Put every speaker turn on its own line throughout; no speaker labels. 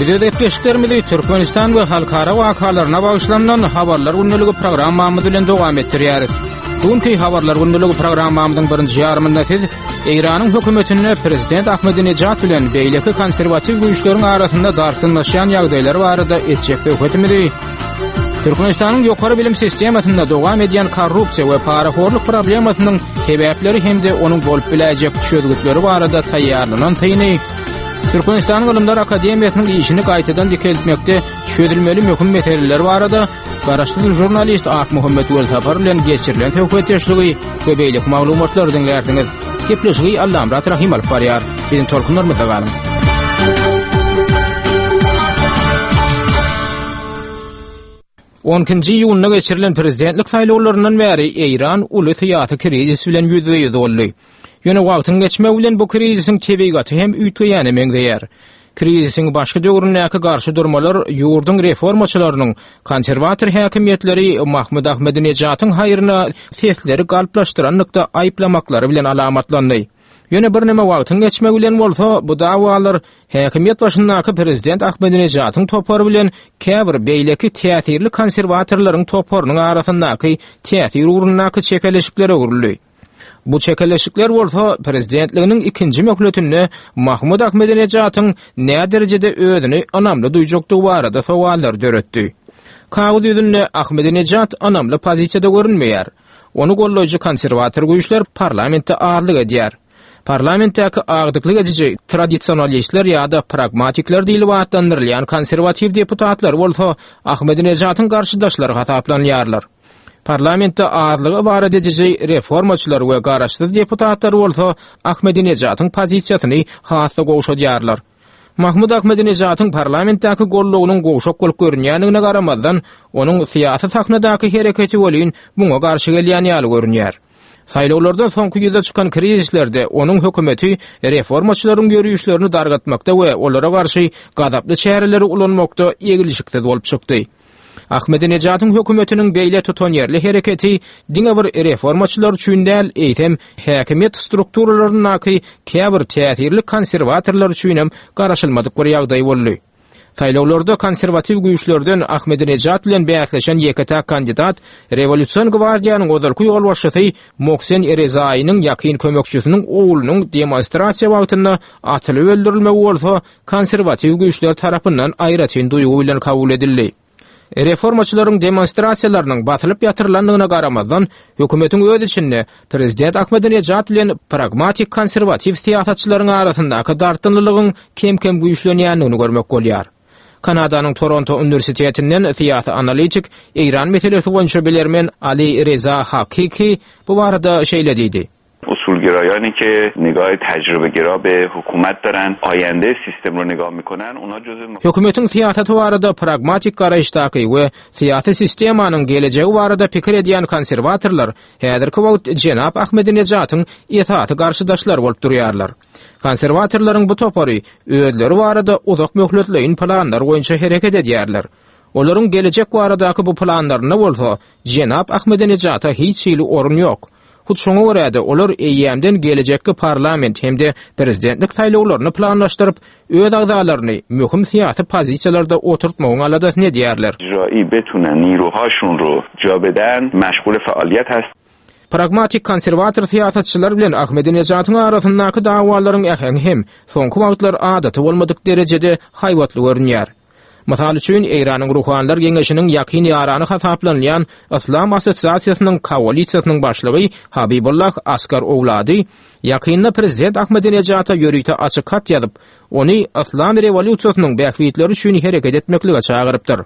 Biz öz gepleşiklerimizi Türkmenistan we halkara wakalaryna bagyşlanylan Habarlar gündeligi programmamyz bilen dowam etdirýäris. Bu günki Habarlar gündeligi programmamyzyň birinji ýarymynda siz Eýranyň hökümetinde prezident Ahmedinejad bilen beýleki konserwatiw güýçleriň arasynda dartgynlaşýan ýagdaýlar barada etjek söhbetimizi, Türkmenistanyň ýokary bilim sistemasynda dowam edýän korrupsiýa we parahorluk problemasynyň sebäpleri hem-de onuň bolup biläýjek çözgütleri barada taýýarlanan syny, Türkmenistanyň Ylymlar akademiýasynyň işini gaýtadan dikeltmekde çözülmeli möhüm meseleler barada garaşsyz žurnalist Akmuhammet Welsapar bilen geçirilen söhbetdeşligi we beýleki maglumatlary diňlärsiňiz. Gepleşigi Allamyrat Rahym alyp barýar. Biziň tolkunlarymyzda galyň. On ikinji iýunda geçirilen prezidentlik saýlawlaryndan bäri Eýran uly syýasy krizis bilen ýüzbe-ýüz boldy. Ýöne wagtyň geçmegi bilen bu krizisiň tebigaty hem üýtgeýäne meňzeýär. Krizisiň başky döwründäki garşy durmalar ýurduň reformaçylarynyň konserwator häkimiýetleri Mahmud Ahmedinejatyň haýryna sesleri galplaşdyranlykda aýyplamaklary bilen alamatlandy. Ýöne birneme wagtyň geçmegi bilen bolsa bu dawalar häkimiýet başyndaky prezident Ahmedinejatyň topary bilen käbir beýleki täsirli konserwatorlaryň toparynyň arasyndaky täsir ugrundaky çekeleşiklere öwrüldi. Bu çekeleşikler bolsa prezidentliginiň ikinji möhletinde Mahmud Ahmedinejatyň näderejede özüni ynamly duýjakdygy barada sowallary döretdi. Kagyz ýüzünde Ahmedinejat ynamly pozisiýada görünmeýär. Ony goldaýjy konserwator güýçler parlamentde azlyk edýär. Parlamentdäki agdyklyk ediji tradisionalistler ýa-da pragmatikler diýlip atlandyrylýan konserwatiw deputatlar bolsa Ahmedinejatyň garşydaşlary hasaplanýarlar. Parlamentde azlygy ybarat ediji reformaçylar we garaşsyz deputatlar bolsa Ahmedinejatyň pozisiýasyny has-da gowşadýarlar. Mahmud Ahmedinejatyň parlamentdäki goldawynyň gowşak bolup görünýändigine garamazdan, onuň syýasy sahnadaky hereketi welin muňa garşy gelýän ýaly görünýär. Saýlawlardan soňky ýüze çykan krizislerde onuň hökümeti reformaçylaryň ýörişlerini dargatmakda we olara garşy gazaply çäreleri ulanmakda eglişiksiz bolup çykdy. Ahmedinejadyň hökümetiniň beýle tutanýerli hereketi diňe bir reformaçylar üçin däl, eýsem, häkimiýet strukturalaryndaky käbir täsirli konserwatorlar üçinem garaşylmadyk bir ýagdaý boldy. Saýlawlarda konserwatiw güýçlerden Ahmedinejad bilen bäsleşen ýeke-täk kandidat Rewolýusion gwardiýanyň ozalky ýolbaşçysy Mohsen Rezaýynyň ýakyn kömekçisiniň oglunyň demonstrasiýa wagtynda atylyp öldürilmegi bolsa konserwatiw güýçler tarapyndan aýratyn duýgy bilen kabul edildi. Reformaçylaryň demonstrasiýalarynyň basylyp ýatyrylandygyna garamazdan, hökümetiň öz içinde prezident Ahmedinejad bilen pragmatik konserwatiw syýasatçylaryň arasyndaky dartgynlylygyň kem-kem güýçlenýändigini görmek bolýar. Kanadanyň Toronto uniwersitetinden syýasy analitik, Eýran meselesi boýunça bilermen Ali Reza Hakiki bu barada şeýle diýdi.
اصولگرایانی که نگاه تجربه گرا به حکومت دارن آینده سیستم رو نگاه میکنن اونا جزو
Hökümetiň syýasaty barada pragmatik garaýyşdaky we syýasy sistemanyň gelejegi barada pikir edýän konserwatorlar häzirki wagt jenap Ahmedinejatyň esasy garşydaşlary bolup durýarlar. Konserwatorlaryň bu topary özleri barada uzak möhletleýin planlar boýunça hereket edýärler. Olaryň gelejek baradaky bu planlarynda bolsa jenap Ahmedinejata hiç hili orun ýok. Hut şoňa görä-de, olar eýýämden gelejekki parlament hem-de prezidentlik saýlawlaryny planlaşdyryp, öz agzalaryny möhüm syýasy pozisiýalarda oturtmagyň aladasyny edýärler. Pragmatik konserwator syýasatçylar bilen Ahmedinejatyň arasyndaky dawalaryň äheňi hem soňky wagtlar adaty bolmadyk derejede haýbatly görünýär. Mysal üçin, Eýranyň Ruhanylar geňeşiniň ýakyn ýarany hasaplanylýan Yslam assosiasiýasynyň koalisiýasynyň başlygy Habibullah Askar Owlady ýakynda prezident Ahmadinejada ýörite açyk hat ýazyp, ony Yslam rewolýusiýasynyň bähbitleri üçin hereket etmeklige çagyrypdyr.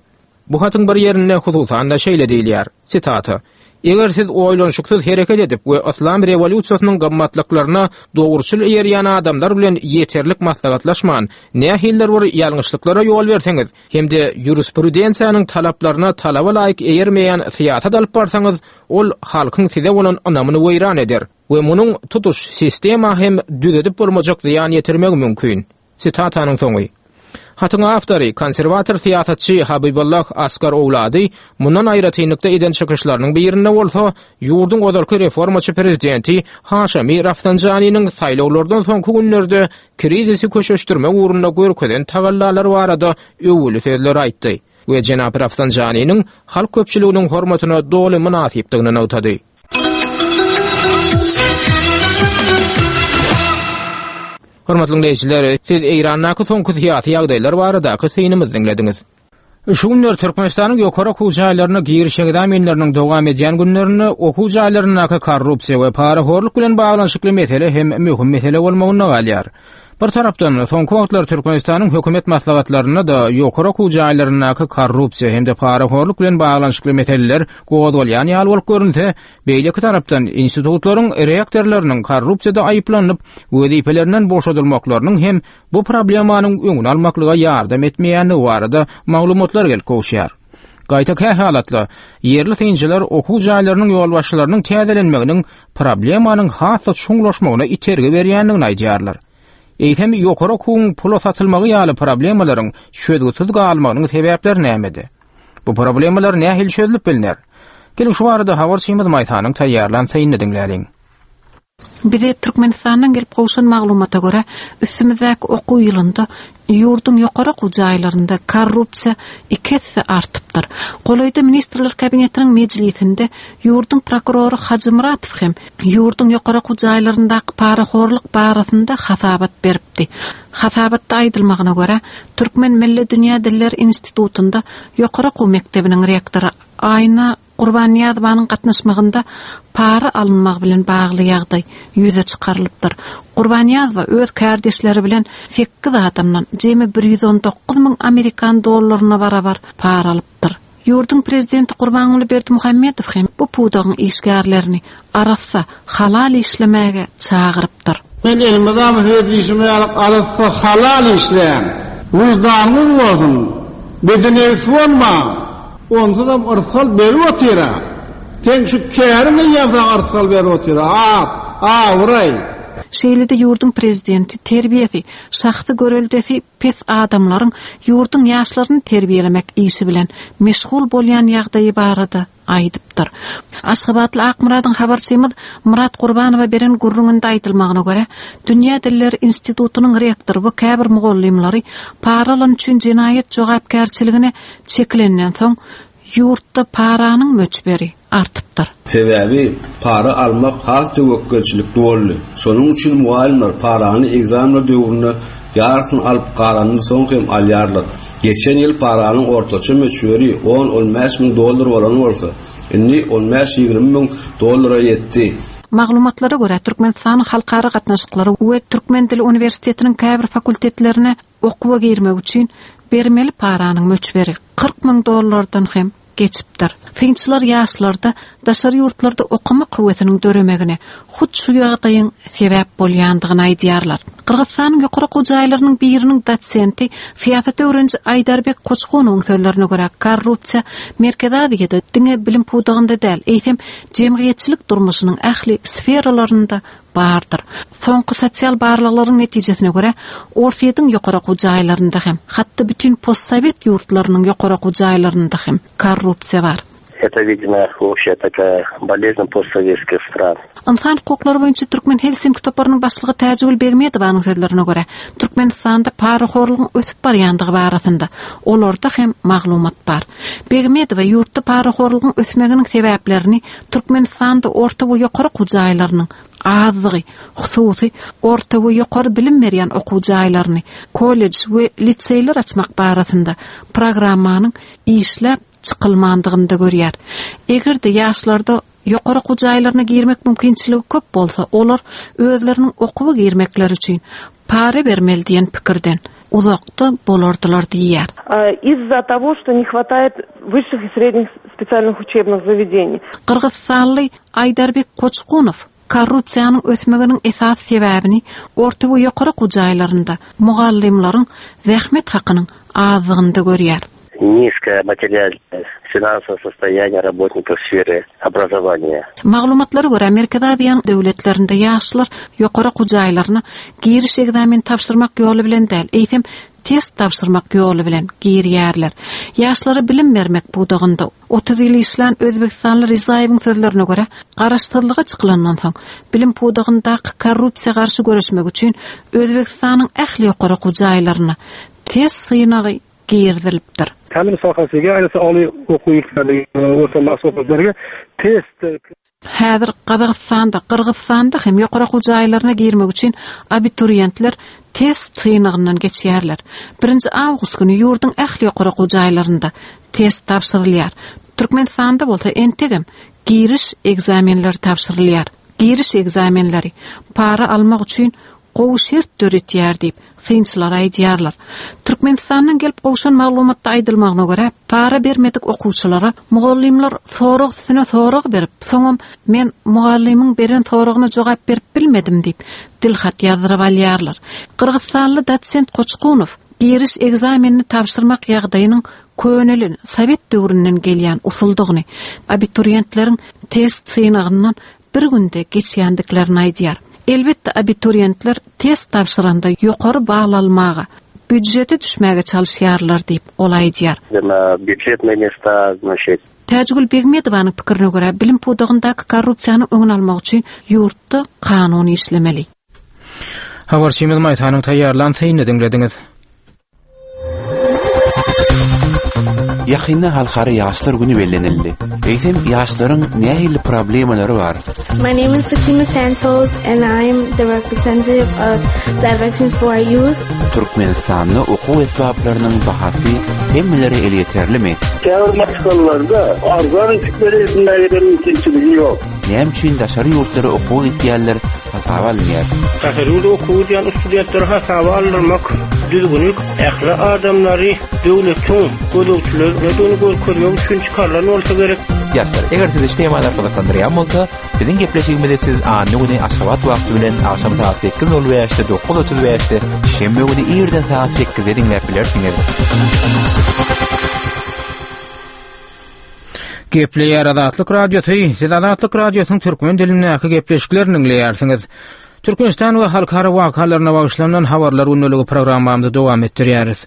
Bu hatyň bir ýerinde hususan-da şeýle diýilýär, sitata, Eger siz oýlanyşyksyz hereket edip we yslam rewolýusiýasynyň gymmatlyklaryna dogruçyl eýerýän adamlar bilen ýeterlik maslahatlaşman, nähilidir bir ýalňyşlyklara ýol berseňiz hem-de ýurisprudensiýanyň talaplaryna talaba laýyk eýermeýän syýasat alyp barsaňyz, ol halkyň size bolan ynamyny weýran eder we munuň tutuş sistema hem düzedip bolmajak zyýan ýetirmegi mümkin. Sitatanyň soňy. Hatyň awtory, konserwator syýasatçy Habibollah Asgar Owlady mundan aýratynlykda eden çykyşlarynyň birinde bolsa, ýurduň ozalky reformaçy prezidenti Haşemi Rafsanjanynyň saýlawlardan soňky günlerde krizisi köşeşdirmek ugrunda görkezen tagallalary barada öwgüli sözleri aýtdy we jenap Rafsanjanynyň halk köpçüliginiň hormatyna doly mynasypdygyny nygtady. Hormatly diňleýjiler, siz Eýrandaky soňky syýasy ýagdaýlar baradaky synymyzy diňlediňiz. Şu günler Türkmenistanyň ýokary okuw jaýlaryna giriş ekzamenleriniň dowam edýän günlerinde okuw jaýlaryndaky korrupsiýa we parahorluk bilen baglanyşykly mesele hem möhüm mesele bolmagynda galýar. Bir tarapdan, soňky wagtlar Türkmenistanyň hökümet maslahatlarynda-da ýokary okuw jaýlaryndaky korrupsiýa hem-de parahorluk bilen baglanyşykly meseleler gozgalýan ýaly bolup görünse, beýleki tarapdan, institutlaryň rektorlarynyň korrupsiýada aýyplanyp, wezipelerinden boşadylmaklarynyň hem bu problemanyň öňüni almaklyga ýardam etmeýändigi barada maglumatlar gelip gowuşýar. Gaýta kähalatda, ýerli synçylar okuw jaýlarynyň ýolbaşçylarynyň täzelenmeginiň problemanyň has-da çuňlaşmagyna itergi berýändigini aýdýarlar. Eýsem, ýokary okuwyň pula satylmagy ýaly problemalaryň çözgütsiz galmagynyň sebäpleri nämede? Bu problemalar nähili çözlüp bilner? Geliň şu barada habarçymyz Maýsanyň taýýarlan synyny diňläliň.
Bize Türkmenistandan gelip gowşan maglumata görä, üstümizdäki okuw ýylynda ýurduň ýokary okuw jaýlarynda korrupsiýa iki esse artypdyr. Golaýda Ministrler Kabinetiniň mejlisinde ýurduň prokurory Hajymuratow hem ýurduň ýokary okuw jaýlaryndaky parahorluk barasynda hasabat beripdi. Hasabatda aýdylmagyna görä, Türkmen milli dünýä dilleri institutynda ýokary okuw mekdebiniň rektory Aýna Gurbannyýazowanyň gatnaşmagynda para alynmagy bilen bagly ýagdaý ýüze çykarylypdyr. Gurbannyýazowa öz kärdeşleri bilen sekiz adamdan jemi 119 müň amerikan dollaryna barabar para alypdyr. Ýurduň prezidenti Gurbanguly Berdimuhamedow hem bu pudagyň işgärlerini arassa, halal işlemäge çagyrypdyr.
Men elmydama öz diýşim ýaly arassa halal işläň. Wyždanyňyz bolsun. Bedenebis bolmaň. Onsuzam yrsgal berip otyr-a. Seň şu käriň eýýäm saňa yrsgal berip otyr-a. At, abraý.
Şeýle-de ýurduň prezidenti terbiýesi, şahsy göreldesi pes adamlaryň ýurduň ýaşlaryny terbiýelemek işi bilen meşgul bolýan ýagdaýy barada aýdypdyr. Aşgabatly Akmyradyň habarçymyz Myrat Gurbanowa beren gürrüňinde aýdylmagyna görä, Dünýä dilleri institutynyň rektory we käbir mugallymlary para alan üçin jenaýat jogapkärçiligine çekilenden soň, ýurtda paranyň möçberi artypdyr.
Sebäbi para almak has töwekgelçilikli boldy. Şonuň üçin mugallymlar parany ekzamenler döwründe ýarysyny alyp, galanyny soň hem alýarlar. Geçen ýyl paranyň ortaça möçberi on-on bäş müň dollar bolan bolsa, indi on bäş-ýigrimi müň dollara ýetdi.
Maglumatlara görä, Türkmenistanyň Halkara gatnaşyklary we Türkmen dili uniwersitetiniň käbir fakultetlerine okuwa girmek üçin bermeli paranyň möçberi 40 müň dollardan hem geçipdir. Synçylar ýaşlarda daşary ýurtlarda okamak höwesiniň döremegine hut şu ýagdaýyň sebäp bolýandygyny aýdýarlar. Gyrgyzystanyň ýokary okuw jaýlarynyň biriniň dosenti, syýasat öwreniji Aýdarbek Koçgunowyň sözlerine görä, korrupsiýa Merkezi Aziýada diňe bilim pudagynda däl, eýsem, jemgyýetçilik durmuşynyň ähli sferalarynda bardyr. Soňky sosial barlaglaryň netijesine görä, Orsýetiň ýokary okuw jaýlarynda hem, hatda bütin postsowet ýurtlarynyň ýokary okuw jaýlarynda hem korrupsiýa bar.
Это, видимо, общая такая болезнь постсоветских стран.
Ynsan hukuklary boýunça Türkmen Helsinki toparynyň başlygy Täjigül Begmedowanyň sözlerine görä, Türkmenistanda parahorlugyň ösüp barýandygy barasynda olarda hem maglumat bar. Begmedowa ýurtda parahorlugyň ösmeginiň sebäplerini Türkmenistanda orta we ýokary okuw jaýlarynyň azdygy, hususy orta we ýokary bilim berýän okuw jaýlaryny, kollej we liseýler açmak barasynda programmanyň işläp çykylmandygynda görýär. Eger-de ýaşlarda ýokary okuw jaýlaryna girmek mümkinçiligi köp bolsa, olar özleriniň okuwa girmekleri üçin para bermeli diýen pikirden uzakda bolardylar diýýär.
Из-за того, что не хватает высших и средних специальных учебных заведений.
Gyrgyzystanly Aýdarbek Koçgunow korrupsiýanyň ösmeginiň esasy sebäbini orta we ýokary okuw jaýlarynda mugallymlaryň zähmet hakynyň azdygynda görýär.
Nizkoe materialnoe finansowoe sostoýaniýe rabotnikow sfery obrazowaniýa.
Maglumatlara görä, Merkezi Aziýanyň döwletlerinde ýaşlar ýokary okuw jaýlaryna giriş ekzameni tabşyrmak ýoly bilen däl, eýsem, test tabşyrmak ýoly bilen girýärler. Ýaşlara bilim bermek pudagynda 30 ýyl işlän özbegistanly Rizaýewiň sözlerine görä, garaşsyzlyga çykylandan soň, bilim pudagyndaky korrupsiýa garşy göreşmek üçin Özbegistanyň ähli ýokary okuw jaýlaryna test synagy girizilipdir.
Tälim sohasiga, ayniqsa oliy o'quv yurtlariga, o'rta maxsus o'quv yurtlariga test
Häzir Gazagystanda, Gyrgyzystanda hem ýokary okuw jaýlaryna girmek üçin abituriýentler test synagyndan geçýärler. Birinji awgust güni ýurduň ähli ýokary okuw jaýlarynda test tabşyrylýar. Türkmenistanda bolsa entegem giriş ekzamenleri tabşyrylýar. Giriş ekzamenleri para almak üçin gowy şert döretýär diýip, synçylar aýdýarlar. Türkmenistandan gelip gowşan maglumatda aýdylmagyna görä, para bermedik okuwçylara mugallymlar sorag üstüne sorag berip, soňam men mugallymyň beren soragyna jogap berip bilmedim diýip, dilhat ýazdyryp alýarlar. Gyrgyzstanly dosent Koçkunow giriş ekzamenini tabşyrmak ýagdaýynyň könelen, sowet döwründen gelýän usuldygyny, abituriýentleriň test synagyndan bir günde geçýändiklerini aýdýar. Elbetde, abituriýentler test tabşyranda ýokary bal almaga, býudžete düşmäge çalyşýarlar diýip, ol aýdýar.
Na býudžetnyý mesta, znaçit.
Täjigül Begmedowanyň pikirine görä, bilim pudagyndaky korrupsiýanyň öňüni almak üçin ýurtda kanun işlemeli.
Habarçymyz Maýsanyň taýýarlan synyny diňlediňiz.
Ýakynda Halkara ýaşlar güni bellenildi. Eýsem, ýaşlaryň nähili problemalary bar?
My name is Fatima Santos and I'm the representative of Directions for Our Youth.
Türkmenistanda okuw esbaplarynyň bahasy hemmelere elýeterlimi?
Käbir maşgalalarda arzan eşikleri edinmäge-de mümkinçiligi ýok.
Näme üçin daşary ýurtlara okuwa gitýänler hasaba alynýar?
Daşary ýurda okuwa gidýän studentleri hasaba aldyrmak düzgüni ähli adamlary döwletiň gözegçilerdedigini görkezmek üçin çykarylan bolsa gerek.
Ýaşlar, eger sizi şu temalar gyzyklandyrýan bolsa, biziň gepleşigimizi siz anna güni Aşgabat wagty bilen agşam sagat 8:05-de, 9:35-de, şenbe güni irden sagat 8-de diňläp bilersiňiz.
Gepleýär Azatlyk Radiosy, Siz Azatlyk Radiosynyň türkmen dilindäki gepleşiklerini diňleýärsiňiz. Türkmenistan we halkara wakalaryna bagyşlanan habarlar gündeligi programmamyzy dowam etdirýäris.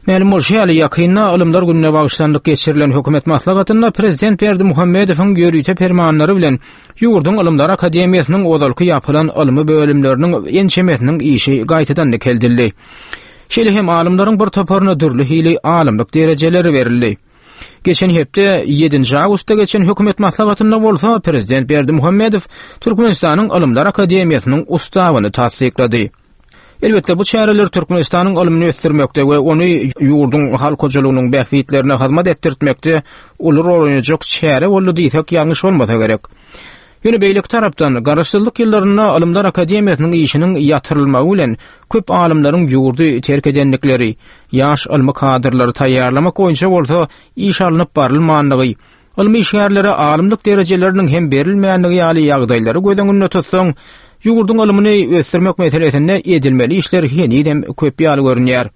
Mälim bolşy ýaly, ýakynda Ylymlar gününe bagyşlanylyp geçirilen hökümet maslahatynda prezident Berdimuhamedowyň ýörite permanlary bilen ýurduň Ylymlar akademiýasynyň ozalky ýapylan ylmy bölümleriniň ençemesiniň işi gaýtadan dikeldildi. Şeýle hem alymlaryň bir toparyna dürli hili alymlyk derejeleri berildi. Geçen hepde ýedinji awgustda geçen hökümet maslahatynda bolsa prezident Berdimuhamedow Türkmenistanyň Ylymlar akademiýasynyň Ustawyny tassyklady. Elbetde, bu çäreler Türkmenistanyň ylmyny ösdürmekde we ony ýurduň halk hojalygynyň bähbitlerine hyzmat etdirtmekde uly rol oýnajak çäre boldy diýsek ýalňyş bolmasa gerek. Ýöne beýleki tarapdan, garaşsyzlyk ýyllarynda Ylymlar akademiýasynyň işiniň ýatyrylmagy bilen köp alymlaryň ýurdy terk edendikleri, ýaş ylmy kadrlary taýýarlamak boýunça bolsa iş alnyp barylmandygy, ylmy işgärlere alymlyk derejeleriniň hem berilmändigi ýaly ýagdaýlary göz öňünde tutsaň, ýurduň ylmyny ösdürmek meselesinde edilmeli işler henizem köp ýaly görünýär.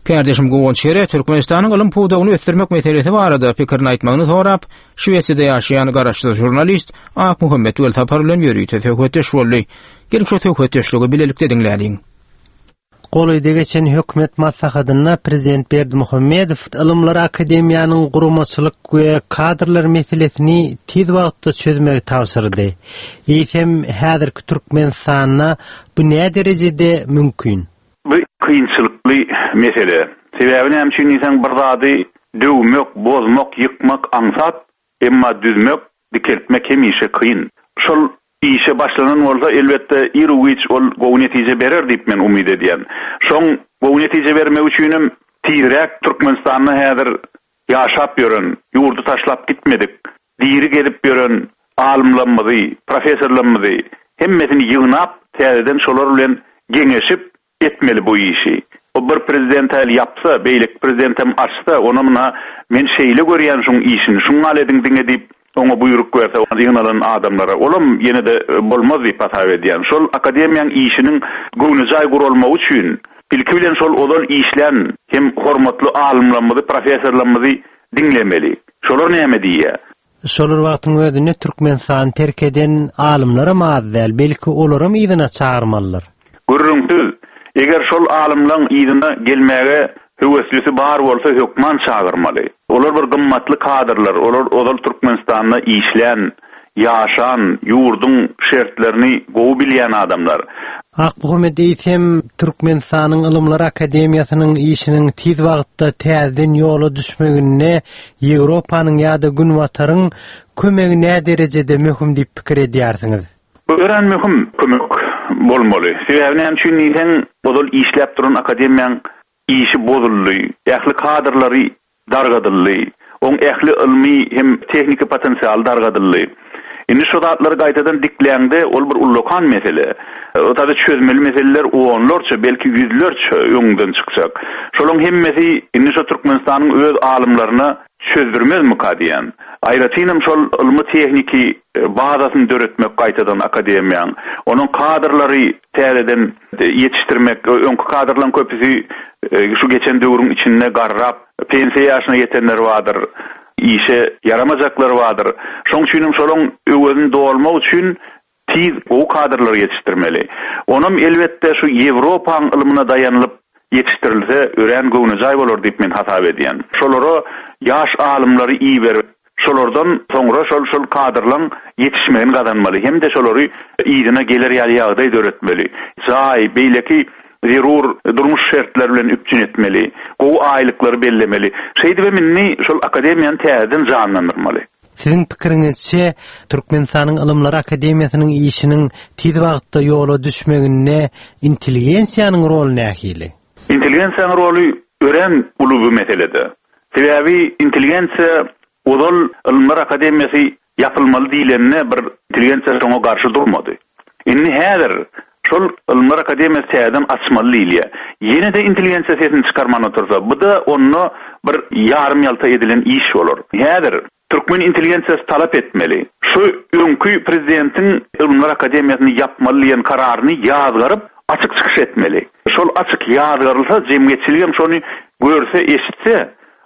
Kärdeşim Guwanç Ýere Türkmenistanyň ylym pudagyny ösdürmek meselesi barada pikirini aýtmagyny sorap, Şwesiýada ýaşaýan garaşsyz žurnalist Akmuhammet Welsapar bilen ýörite söhbetdeş boldy. Geliň şu söhbetdeşligi bilelikde diňläliň.
Golaýda geçen hökümet maslahatynda prezident Berdimuhamedow Ylymlar akademiýanyň guramaçylyk we kadrlar meselesini tiz wagtda çözmegi tabşyrdy. Eýsem, häzirki Türkmenistanda bu näderejede mümkin?
Bu kynçylykly mesele. Sebäbi näme üçin diýseň bir zady döwmek, bozmak, ýykmak aňsat, emma düzmek, dikeltmek hemişe kyn. Şol işe başlanan bolsa elbetde iru-giç ol gowy netije berer diýip men umyt edýän. Şoň gowy netije bermegi üçinem tizräk Türkmenistanda häzir ýaşap ýören, ýurdy taşlap gitmedik, diri gezip ýören alymlarymyzy, professorlarymyzy hemmesini ýygnap, täzeden şolar bilen geňeşip etmeli bu işi. O bir prezident häli ýapsa, beýleki prezidentem açsa, onam ynha men şeýle görýän şuň işini, şuňňal ediň diňe diýip, oňa buýruk berse ýygnalan adamlara, olam ýene-de bolmaz diýip hasap edýän. Şol akademiýaň işiniň göwnejaý guralmagy üçin, ilki bilen şol ozal işlän hem hormatly alymlarymyzy, professorlarymyzy diňlemeli. Şolar näme diýýär?
Şol bir wagtyň özünde Türkmenistany terk eden alymlaram az däl, belki olaram yzyna çagyrmalydyr.
Gürrüňsiz. Eger şol alymlaň yzyna gelmäge höweslisi bar bolsa hökman çagyrmaly. Olar bir gymmatly kadrlar, olar ozal Türkmenistanda işlän, ýaşan, ýurduň şertlerini gowy bilýän adamlar.
Akmuhammet eýsem Türkmenistanyň Ylymlar akademiýasynyň işiniň tiz wagtda täzeden ýola düşmeginde Ýewropanyň ýa-da Günbataryň kömegi näderejede möhüm diýip pikir edýärsiňiz?
Bu örän möhüm kömek bolmaly. Sebäbi näme üçin diýseň, ozal işläp duran akademiýaň işi bozuldy, ähli kadrlary dargadyldy, oň ähli ylmy hem tehniki potensialy dargadyldy. Indi şo zatlary gaýtadan dikläňde, ol bir ullakan mesele. O taýda çözmeli meseleler onlarça, belki ýüzlerçe öňüňden çykjak. Şolaň hemmesi indi şo Türkmenistanyň öz alymlaryna çözdürmezmika diýýän. Aýratynam şol ylmy-tehniki bazasyny döretmek gaýtadan akademiýaň, onuň kadrlary täzeden ýetişdirmek, öňki kadrlaryň köpüsi şu geçen döwrüň içinde garrap, pensiýa ýaşyna ýetenleri bardyr, işe ýaramajaklary bardyr. Şoň üçinem şolaň öwezini dolmak üçin tiz gowy kadrlary ýetişdirmeli. Onam elbetde şu Ýewropaň ylmyna daýanylyp ýetişdirilse örän göwnejaý bolar diýip men hasap edýän. Şolara ýaş alymlary iberip, şolardan soňra şol şol kadrlaň ýetişmegini gazanmaly hem-de şolary yzyna geler ýaly ýagdaý döretmeli. Jaý, beýleki zerur durmuş şertleri bilen üpjün etmeli. Gowy aýlyklary bellemeli. Şeýdibem indi şol akademiýany täzeden janlandyrmaly.
Siziň pikiriňizçe, Türkmenistanyň Ylymlar akademiýasynyň işiniň tiz wagtda ýola düşmeginde intelligensiýanyň roly nähili?
Intelligensiýanyň roly örän uly bu meselede. Sebäbi intelligensiýa ozal Ylymlar akademiýasy ýapylmaly diýlende bir intelligensiýa şoňa garşy durmady. Indi häzir şol Ylymlar akademiýasy täzeden açmaly diýilýär. Ýene-de intelligensiýa sesini çykarman otursa, bu-da onda bir ýarym-ýalta edilen iş bolar. Häzir türkmen intelligensiýasy talap etmeli. Şu öňki prezidentiň Ylymlar akademiýasyny ýapmaly diýen kararyny ýazgaryp, açyk çykyş etmeli. Şol açyk ýazgarylsa, jemgyýetçiligem şony görse, eşitse,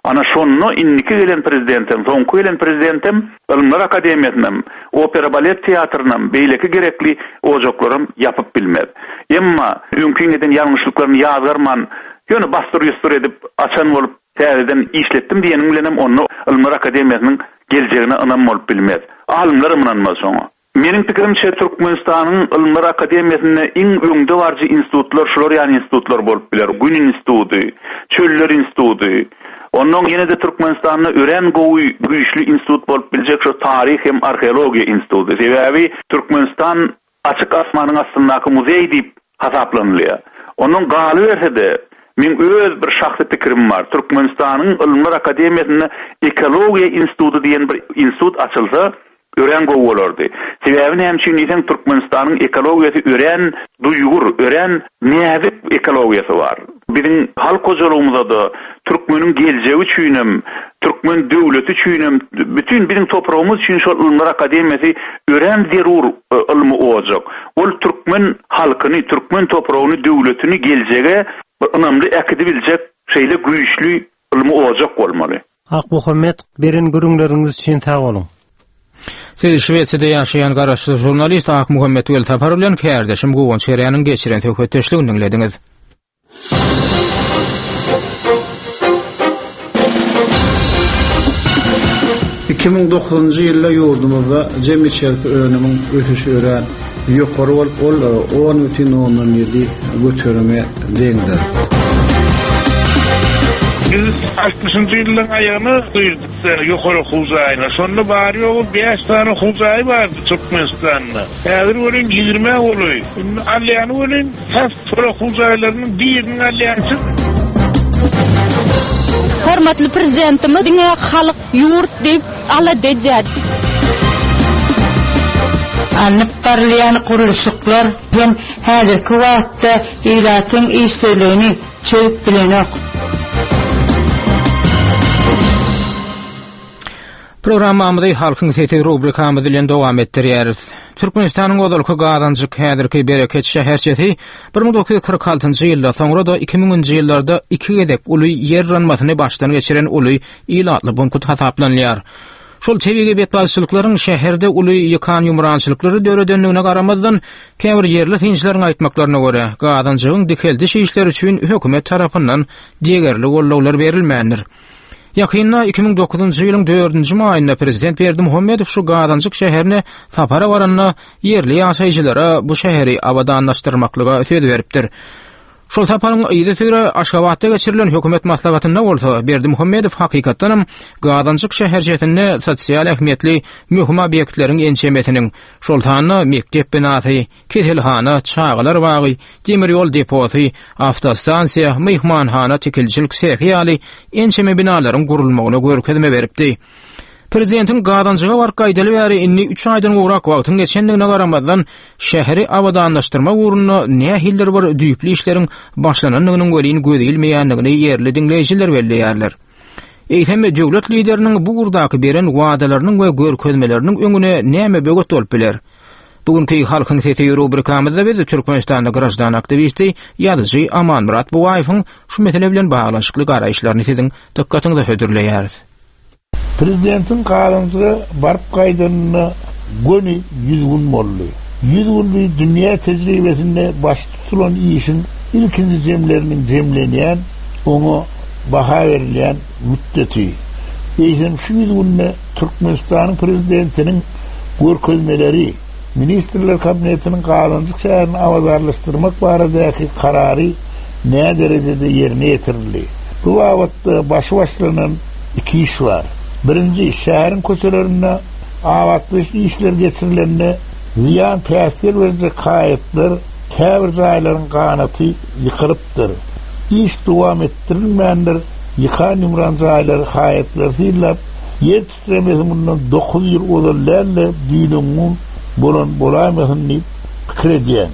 Ana şonda indiki gelen prezidentem, soňky gelen prezidentem Ylymlar akademiýasynam, opera-balet teatrynam, beýleki gerekli ojaklaram ýapyp bilmez. Emma öňkiň eden ýalňyşlyklaryny ýazgarman, ýöne bassyr-ýussur edip, açan bolup, täzeden işletdim diýeniň bilenem onda Ylymlar akademiýasynyň geljegine ynam bolup bilmez. Alymlaram ynanmaz şoňa. Meniň pikirimçe, Türkmenistanyň Ylymlar akademiýasynda iň öňdebaryjy institutlar şular ýaly institutlar bolup biler, Gün instituty, Çöller instituty. Onnoň ýene-de Türkmenistanda örän gowy, güýçli institut bolup biljek şu Taryh hem arheologiýa instituty. Sebäbi Türkmenistan açyk asmanyň astyndaky muzeý diýip hasaplanylýar. Onnoň galyberse-de, meň öz bir şahsy pikirim bar, Türkmenistanyň Ylymlar akademiýasynda Ekologiýa instituty diýen bir institut açylsa, Örän gowy bolardy. Sebäbi näme üçin diýseň Türkmenistanyň ekologiýasy örän duýgur, örän näzik ekologiýasy bar. Biziň halk hojalygymyzada, türkmeniň geljegi üçinem, türkmen döwleti üçinem, bütin biziň topragymyz üçin şol Ylymlar akademiýasy örän zerur ylmy ojak. Ol türkmen halkyny, türkmen topragyny, döwletini geljege bir ynamly äkidibiljek şeýle güýçli ylmy ojak bolmaly.
Akmuhammet, beren gürrüňleriňiz üçin sag boluň.
Siz Şwesiýada ýaşaýan garaşsyz žurnalist Akmuhammet Welsapar bilen kärdeşim Guwanç Herýanyň geçiren söhbetdeşligini diňlediňiz.
2009-njy ýylda ýurdumyzda jemi içerki önümiň ösüşi örän ýokary bolup, ol 10,7 göterime deňdir.
Biz altmyşynjy ýyllaryň aýagyna girdik ýokary okuw jaýyna. Şonda bary-ýogy bäş sany okuw jaýy bardy Türkmenistanda. Häzir welin ýigrimä golaý. Indi alýany welin tas şol okuw jaýlarynyň biriniň alýançy.
Hormatly Prezidentimiz diňe halk, ýurt diýip alada edýär.
Alnyp barylýan gurluşyklar hem häzirki wagtda ilatyň işsizligini çözüp bilenok.
Programmamyzy Halkyň sesi rubrikamyz bilen dowam etdirýäris. Türkmenistanyň ozalky Gazanjyk, häzirki Bereket şäherçesi 1946-njy ýylda, soňra-da 2000-nji ýyllarda iki gezek uly ýer yranmasyny başdan geçiren uly ilatly punkt hasaplanylýar. Şol tebigy betbagtçylyklaryň şäherde uly ýykan-ýumrançylyklary döredendigine garamazdan, käbir ýerli synçylaryň aýtmaklaryna görä, Gazanjygyň dikeldiş işleri üçin hökümet tarapyndan degerli goldawlar berilmändir. Ýakynda, 2009-njy ýylyň dördünji maýynda prezident Berdimuhamedow şu Gazanjyk şäherine sapara baranda ýerli ýaşaýjylara bu şäheri abadanlaşdyrmaklyga söz beripdir. Şol saparyň yzysüre Aşgabatda geçirilen hökümet maslahatynda bolsa Berdimuhamedow hakykatdanam Gazanjyk şäherçesinde sosial ähmiýetli möhüm obýektleriň ençemesiniň, şol sanda mekdep binasy, keselhana, çagalar bagy, demir ýol deposy, awtostansiýa, myhmanhana, tikilçilik sehi ýaly ençeme binalaryň gurulmagyna görkezme beripdi. Prezidentiň Gazanjyga baryp gaýdaly bäri indi üç aýdan gowrak wagtyň geçendigine garamazdan, şäheri abadanlaşdyrmak ugrunda nähilidir bir düýpli işleriň başlanandygynyň welin göze ilmeýändigini ýerli diňleýjiler belleýärler. Eýsem, döwlet Lideriniň bu ugurdaky beren wadalarynyň we görkezmeleriniň öňüne näme böwet bolup biler? Bu günki Halkyň sesi rubrikamyzda biz Türkmenistanda graždan aktiwisti, ýazyjy Amanmyrat Bugaýewiň şu mesele bilen baglanyşykly garaýyşlaryny siziň dykgatyňyza hödürleýäris.
Prezidentiň Gazanjyga baryp gaýdanyna göni 100 gün boldy. 100 gün bu dünýä tejribesinde başy tutulan işiň ilkinji jemleriniň jemlenýän, oňa baha berilýän mütdeti. Eýsem şu 100 günde Türkmenistanyň Prezidentiniň görkezmeleri, Ministrler Kabinetiniň Gazanjyk şäherini abadanlaşdyrmak baradaky karary näderejede ýerine ýetirildi? Bu babatda başy başlanan iki iş bar. Birinji, şäheriň köçelerinde abatlaýyş işleri geçirilende zyýan päsgel berjek haýatlar, käbir jaýlaryň ganaty ýykylypdyr. Iş dowam etdirilmändir, ýykan-ýumran jaýlary, haýatlary synlap, ýer titremesi mundan 9 ýyl ozal däl-de, düýn-öňňun bolan bolaýmasyn diýip pikir edýän.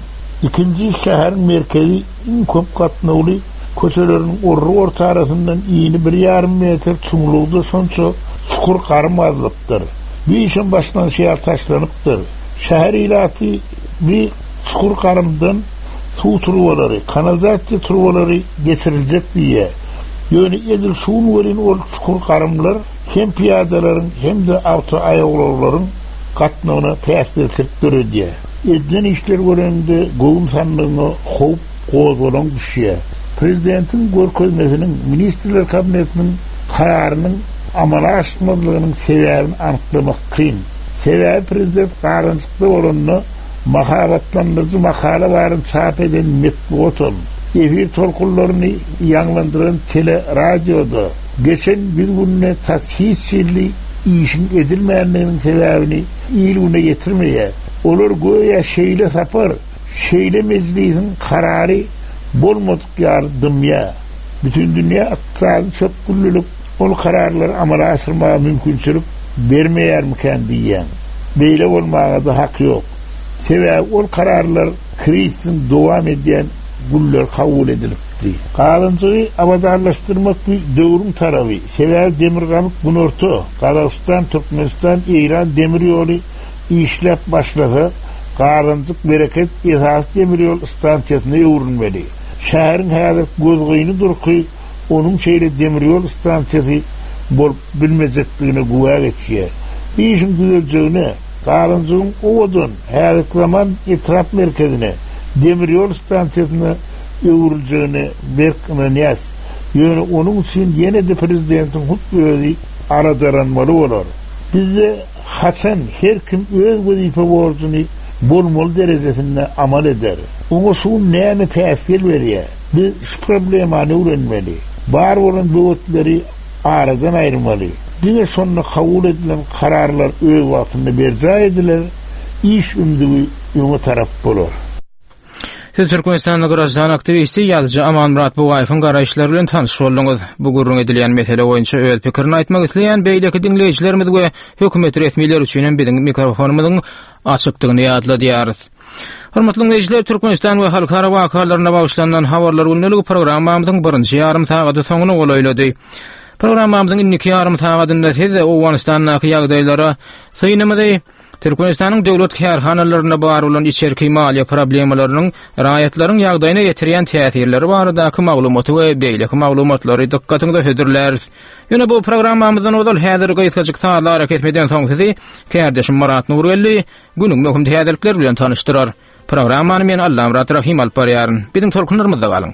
Ikinji, şäheriň merkezi iň köp gatnawly köçeleriniň orry-ortarasyndan ini bir ýarym metr çuňlugda şonça çukur garym gazylypdyr. Bu işem başlanyşy ýaly taşlanypdyr. Şäher ilaty bu çukur garymdan suw turbalary, kanalizasiýa turbalary geçiriljek diýýär. Ýöne edil şu gün welin ol çukur garymlar hem pyýadalaryň hem-de awtoaýawulaglaryň gatnawyna päsgelçilik döredýär. Edilen işleri göreniňde göwün sandygyňa howp, gozgalaň düşýär. Prezidentiň görkezmesiniň, Ministrler Kabinetiniň kararynyň amala aşmazlygynyň sebäbini anyklamak kyn. Sebäbi prezident garanjykda bolanda mahabatlandyryjy makala baryny çap eden metbugatam, efir tolkunlaryny ýaňlandyran tele, radio-da geçen ýüz günde tas hiç hili işiň edilmändiginiň sebäbini il-güne ýetirmeýär. Olar göýä şeýle sapar, şeýle mejlisiň karary bolmadyk ýaly dymýar. Bütindünýä ykdysady çökgünlilik ol kararlary amala aşyrmaga mümkinçilik bermeýärmikän diýýän. Beýle bolmaga-da hak ýok. Sebäbi ol kararlar krizisiň dowam edýän günleri kabul edilipdi. Galynjygy abadanlaşdyrmak bu döwrüň talaby. Sebäbi Demirgazyk-Günorta, Gazagystan, Türkmenistan, Eýran demir ýoly işläp başlasa, Gazanjyk Bereket esasy demir ýol stansiýasyna öwrülmeli. Şäheriň häzirki gözgyny durky onuň şeýle demir ýol stansiýasy bolup bilmejekdigine güwä geçýär. Bu işiň düzeljegine, Gazanjygyň owadan, häzirki zaman etrap merkezine, demir ýol stansiýasyna öwrüljegine berk ynanýas. Ýöne onuň üçin ýene-de prezidentiň hut özi aladalanmaly bolar. Bizde haçan her kim öz wezipe borjuny bolmaly derejesinde amal eder? Oňa şu gün näme päsgel berýär? Biz şu problemany öwrenmeli. Bar bolan böwetleri aradan aýyrmaly. Diňe şonda kabul edilen kararlar öz wagtynda berjaý ediler, iş ümzügi öňe tarap bolar.
Siz Türkmenistanly graždan aktiwisti, ýazyjy Amanmyrat Bugaýewiň garaýyşlary bilen tanyş bolduňyz. Bu gürrüň edilýän mesele boýunça öz pikirini aýtmak isleýän beýleki diňleýjilerimiz we hökümet resmileri üçin hem biziň mikrofonymyzyň açykdygyny ýatladýarys. Hormatly diňleýjiler, Türkmenistan we halkara wakalaryna bagyşlanylan Habarlar gündeligi programmamyzyň birinji ýarym sagady soňuna golaýlady. Programmamyzyň indiki ýarym sagadynda siz Owganystandaky ýagdaýlara synymyzy. Türkmenistanyň döwlet kärhanalarynda bar bolan içerki maliýe problemalarynyň raýatlaryň ýagdaýyna ýetirýän täsirleri baradaky maglumaty we beýleki maglumatlary dykgatyňyza hödürläris. Ýöne bu programmamyzdan ozal häzir gysgajyk sazly arakesmeden soň sizi kärdeşim Myrat Nurgeldi günüň möhüm täzelikleri bilen tanyşdyrar. Programmany men Allamyrat Rahym alyp barýaryn. Biziň tolkunlarymyzda galyň.